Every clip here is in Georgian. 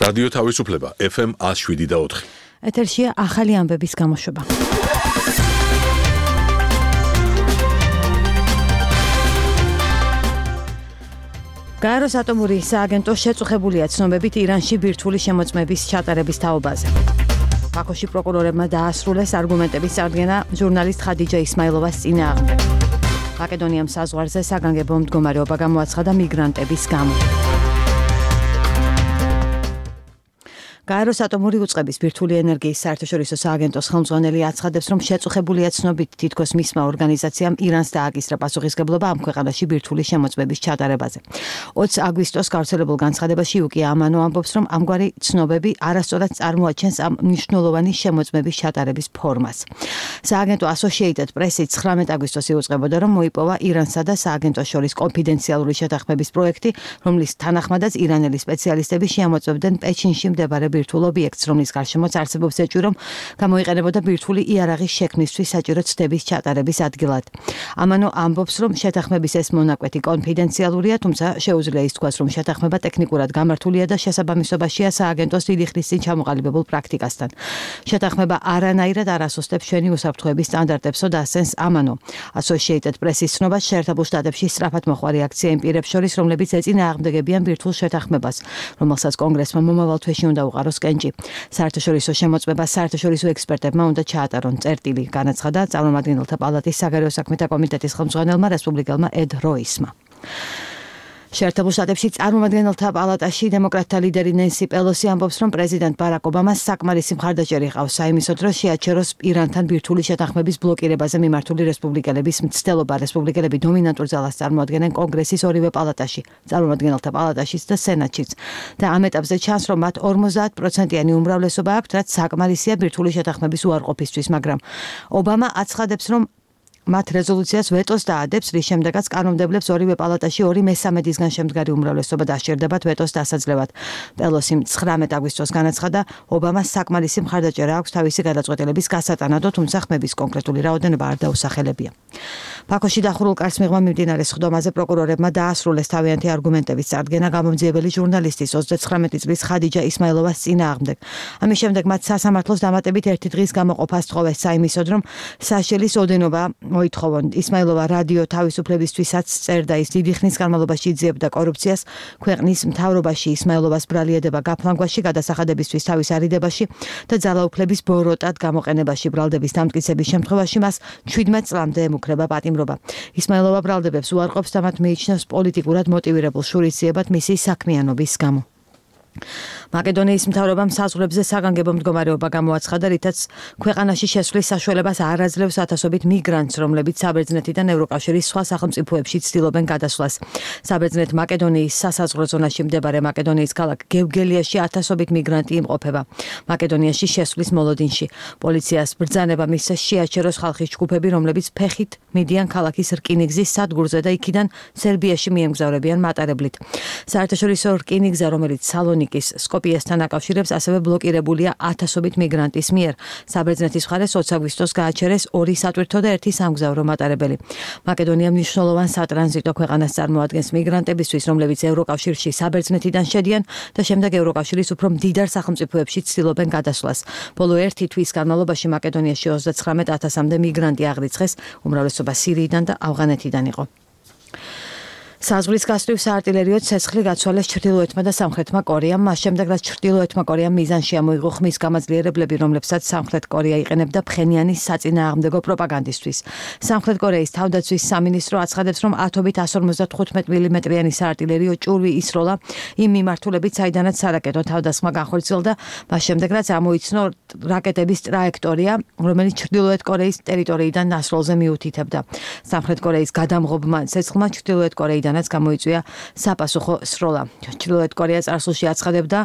რადიო თავისუფლება FM 107.4. ეთერშია ახალი ამბების გამოშვება. გაეროს ატომური სააგენტო შეწუხებულია ცნობებით ირანში ბირთვული შემოწმების ჩატარების თაობაზე. ბაქოში პროკურორებმა დაასრულეს არგუმენტების წარდგენა ჟურნალისტ ხადიჯა ისმაილოვას წინააღმდეგ. მაკედონიამ საზღვარზე საგანგებო მდგომარეობა გამოაცხადა მიგრანტების გამო. გაეროს ატომური უწყების ბირთვული ენერგიის საერთაშორისო სააგენტოს ხელმძღვანელი აცხადებს, რომ შეწუხებულია ცნობით თითქოს მისმა ორგანიზაციამ ირანს დააკისრა პასუხისმგებლობა ამ ქვეყანაში ბირთვული შემოწმების ჩატარებაზე. 20 აგვისტოს გავრცელებულ განცხადებაში იუკია ამანო ამბობს, რომ ამგვარი ცნობები არასწორად წარმოაჩენს ამ მნიშვნელოვანი შემოწმების ჩატარების ფორმას. სააგენტო Associated Press-ი 19 აგვისტოს იუწყებოდა, რომ მოიპოვა ირანსა და სააგენტოს შორის კონფიდენციალური შეთანხმების პროექტი, რომლის თანახმადაც ირანელი სპეციალისტები შეამოწმებდნენ პეჩინში მდებარე ბირთვულ ობიექტს, რომლის გარშემოც არსებობს ეჭვი, რომ გამოიყენებოდა ბირთვული იარაღის შექმნისთვის საჭირო ცდების ჩატარების ადგილად. ამანო ამბობს, რომ შეთანხმების ეს მონაკვეთი კონფიდენციალურია, თუმცა შეუძლია ის თქვას, რომ შეთანხმება ტექნიკურად გამართულია და შესაბამისობაშია სააგენტოს დიდი ხნის წინ ჩამოყალიბებულ პრაქტიკასთან. შეთანხმება არანაირად არ ასოსტებს ჩვენი უსაფრთხოების სტანდარტებსო და ასენს ამანო. Associated Press-ის ცნობა შეერთებულ შტატებში სწრაფად მოხوارი აქცია იმ პირებს შორის, რომლებიც ეწინააღმდეგებიან ბირთვულ შეთანხმებას, რომელსაც კონგრესმა მომავალ თვეში უნდა უყაროს კენჭი. საერთაშორისო შემოწმებას საერთაშორისო ექსპერტებმა უნდა ჩაატარონ წერტილი, განაცხადა წარმომადგენელთა პალატის საგარეო საქმეთა კომიტეტის ხელმძღვანელმა რესპუბლიკელმა ედ როისმა. შეერთებულ შტატებში წარმომადგენელთა პალატაში დემოკრატთა ლიდერი ნენსი პელოსი ამბობს, რომ პრეზიდენტ ბარაკ ობამას საკმარისი მხარდაჭერი ჰყავს საიმისოდ, რომ შეაჩეროს ირანთან ბირთვული შეთანხმების ბლოკირებაზე მიმართული რესპუბლიკელების მცდელობა. რესპუბლიკელები დომინანტურ ძალას წარმოადგენენ კონგრესის ორივე პალატაში, წარმომადგენელთა პალატაშიც და სენატშიც. და ამ ეტაპზე ჩანს, რომ მათ 50%-იანი უმრავლესობა აქვთ, რაც საკმარისია ბირთვული შეთანხმების უარყოფისთვის, მაგრამ ობამა აცხადებს, რომ მათ რეზოლუციას ვეტოს დაადებს, რის შემდეგაც კანონმდებლებს ორივე პალატაში 2/3-ისგან შემდგარი უმრავლესობა დასჭირდებათ ვეტოს დასაძლევად. პელოსიმ 19 აგვისტოს განაცხადა, ობამას საკმარისი მხარდაჭერა აქვს თავისი გადაწყვეტილების გასატანადო, თუმცა ხმების კონკრეტული რაოდენობა არ დაუსახელებია. ბაქოში დახურულ კარს მიღმა მიმდინარე სხდომაზე პროკურორებმა დაასრულეს თავიანთი არგუმენტების წარდგენა გამომძიებელი ჟურნალისტის 29 წლის ხადიჯა ისმაილოვას წინააღმდეგ. ამის შემდეგ მათ სასამართლოს დამატებით ერთი დღის გამოყოფას თხოვეს საიმისოდ, რომ საშელის ოდენობა მოითხოვონ. ისმაილოვა რადიო თავისუფლებისთვისაც წერდა, ის დიდი ხნის განმავლობაში იძიებდა კორუფციას ქვეყნის მთავრობაში, ისმაილოვას ბრალieდება გაფლანგვაში, გადასახადებისთვის თავის არიდებაში და ძალაუფლების ბოროტად გამოყენებაში. ბრალდების დამტკიცების შემთხვევაში მას 17 წლამდე ემუქრება პატიმრობა. ისმაილოვა ბრალდებებს უარყოფს და მათ მიიჩნევს პოლიტიკურად მოტივირებულ შურისძიებად მისი საქმიანობის გამო. მაკედონიის მთავრობამ საზღვრებზე საგანგებო მდგომარეობა გამოაცხადა, რითაც ქვეყანაში შესვლის საშუალებას არ აძლევს ათასობით მიგრანტს, რომლებიც საბერძნეთიდან ევროკავშირის სხვა სახელმწიფოებში ცდილობენ გადასვლას. საბერძნეთ მაკედონიის სასაზღვრო ზონაში მდებარე მაკედონიის ქალაქ გევგელიაში ათასობით მიგრანტი იმყოფება. მაკედონიაში შესვლის მოლოდინში პოლიციას ბრძანება მისცეს შეაჩეროს ხალხის ჯგუფები, რომლებიც ფეხით მიდიან ქალაქის რკინიგზის სადგურზე და იქიდან სერბიაში მიემგზავრებიან მატარებლით. საერთაშორისო რკინიგზა, რომელიც სალონიკის სკოპიესთან აკავშირებს, ასევე ბლოკირებულია ათასობით მიგრანტის მიერ. საბერძნეთის მხარეს 20 აგვისტოს გააჩერეს 2 სატვირთო და 1 სამგზავრო მატარებელი. მაკედონია მნიშვნელოვან სატრანზიტო ქვეყანას წარმოადგენს მიგრანტებისთვის, რომლებიც ევროკავშირში საბერძნეთიდან შედიან და შემდეგ ევროკავშირის უფრო მდიდარ სახელმწიფოებში ცდილობენ გადასვლას. ბოლო 1 თვის განმავლობაში მაკედონიაში 39,000-მდე მიგრანტი აღრიცხეს, უმრავლესობა სირიიდან და ავღანეთიდან იყო. საზღვრის გასწვრივ საარტილერიო ცეცხლი გაცვალეს ჩრდილოეთმა და სამხრეთმა კორეამ, მას შემდეგ რაც ჩრდილოეთმა კორეამ მიზანში ამოიღო ხმის გამაძლიერებლები, რომლებსაც სამხრეთ კორეა იყენებდა ფხენიანის საწინააღმდეგო პროპაგანდისთვის. სამხრეთ კორეის თავდაცვის სამინისტრო აცხადებს, რომ ათობით 155 მმ-იანი საარტილერიო ჭურვი ისროლა იმ მიმართულებით, საიდანაც სარაკეტო თავდასხმა განხორციელდა, მას შემდეგ რაც ამოიცნო რაკეტების ტრაექტორია, რომელიც ჩრდილოეთ კორეის ტერიტორიიდან ნასროლზე მიუთითებდა. სამხრეთ კორეის გადამღობმა ცეცხლმა ჩრდილოეთ კორეიდან დანაც გამოიწვია საპასუხო სროლა. ჩრდილოეთ კორეა წარსულში აცხადებდა,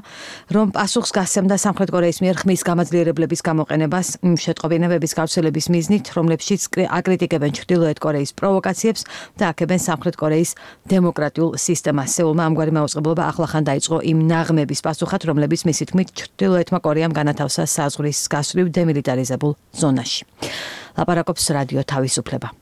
რომ პასუხს გასცემდა სამხრეთ კორეის მიერ ხმის გამაძლიერებლების გამოყენებას იმ შეტყობინებების გავრცელების მიზნით, რომლებშიც აკრიტიკებენ ჩრდილოეთ კორეის პროვოკაციებს და აქებენ სამხრეთ კორეის დემოკრატიულ სისტემას. სეულმა ამგვარი მაუწყებლობა ახლახან დაიწყო იმ ნაღმების პასუხად, რომლებიც მისი თქმით ჩრდილოეთმა კორეამ განათავსა საზღვრის გასწვრივ დემილიტარიზებულ ზონაში. ლაპარაკობს რადიო თავისუფლება.